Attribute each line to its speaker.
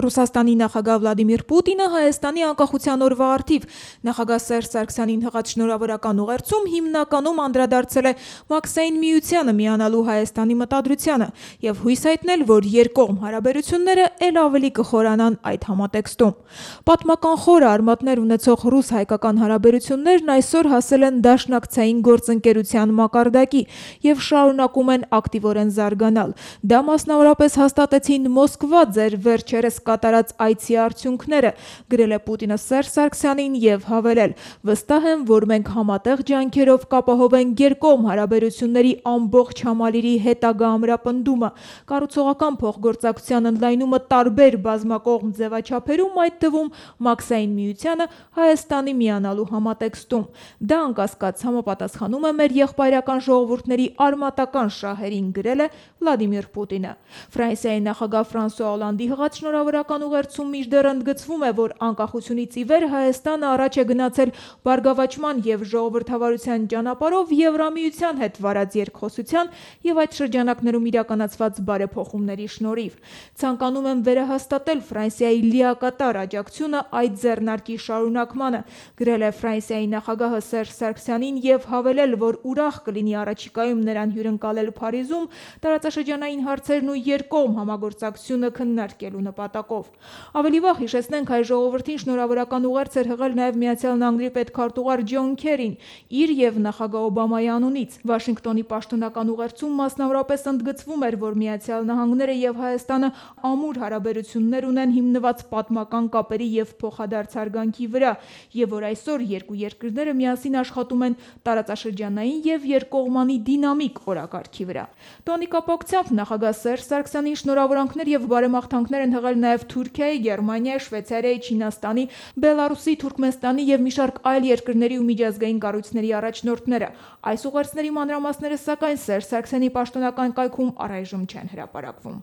Speaker 1: Ռուսաստանի նախագահ Վլադիմիր Պուտինը Հայաստանի անկախության օրվա առթիվ նախագահ Սերժ Սարգսյանին հղած շնորհավորական ուղերձում հիմնականում անդրադարձել է Մաքսային միությանը միանալու Հայաստանի մտադրությանը եւ հույս հայտնել, որ երկկողմ հարաբերությունները ել ավելի կխորանան այդ համատեքստում։ Պատմական խորը արմատներ ունեցող ռուս-հայկական հարաբերություններն այսօր հասել են դաշնակցային գործընկերության մակարդակի եւ շարունակում են ակտիվորեն զարգանալ։ Դա մասնավորապես հաստատեցին Մոսկվա ձեր վերջերս կատարած այցի արդյունքները, գրել է Պուտինը Սերժ Սարգսյանին եւ հավելել. վստահ եմ, որ մենք համատեղ ջանքերով կապահովենք երկկողմ հարաբերությունների ամբողջ համալիրի հետագա ամրապնդումը, կառուցողական փոխգործակցության ընդլայնումը տարբեր բազմակողմ ձևաչափերում, այդ թվում Մաքսային միությանը Հայաստանի միանալու համատեքստում։ Դա անկասկած համապատասխանում է մեր եղբայրական ժողովուրդների արմատական շահերին, գրել է Վլադիմիր Պուտինը։ Ֆրանսիայի նախագահ Ֆրանսուଆ Օլանդի հղած շնորհավորական ուղերձում մինչդեռ ընդգծվում է, որ անկախությունից ի վեր Հայաստանը առաջ է գնացել բարգավաճման եւ ժողովրդավարության ճանապարհով Եվրամիության հետ վարած երկխոսության եւ այդ շրջանակներում իրականացված բարեփոխումների շնորհիվ։ Ցանկանում եմ վերահաստատել Ֆրանսիայի լիակատար աջակցությունը այդ ձեռնարկի շարունակմանը, գրել է Ֆրանսիայի նախագահը Սերժ Սարգսյանին եւ հավելել, որ ուրախ կլինի առաջիկայում նրան հյուրընկալել Փարիզում տարածաշրջանային հարցերն ու երկկողմ համագործակցությունը քննարկելու նպատակով։ Ավելի վաղ հիշեցնենք, հայ ժողովրդին շնորհավորական ուղերձ էր հղել նաև Միացյալ Նահանգների պետքարտուղար Ջոն Քերին իր եւ նախագահ Օբամայի անունից։ Վաշինգտոնի պաշտոնական ուղերձում մասնավորապես ընդգծվում էր, որ Միացյալ Նահանգները եւ Հայաստանը ամուր հարաբերություններ ունեն հիմնված պատմական կապերի եւ փոխադարձ հարգանքի վրա, եւ որ այսօր երկու երկրները միասին աշխատում են տարածաշրջանային եւ երկկողմանի դինամիկ օրակարգի վրա։ Տոնի կապակցությամբ նախագահ Սերժ Սարգսյանին շնորհավորանքներ եւ բարեմաղթանքներ են հղել նաեւ Թուրքիայի, Գերմանիայի, Շվեյցարիայի, Չինաստանի, Բելարուսի, Թուրքմենստանի եւ մի շարք այլ երկրների ու միջազգային կառույցների առաջնորդները։ Այս ուղերձների մանրամասները սակայն Սերժ Սարգսյանի պաշտոնական կայքում առայժմ չեն հրապարակվում։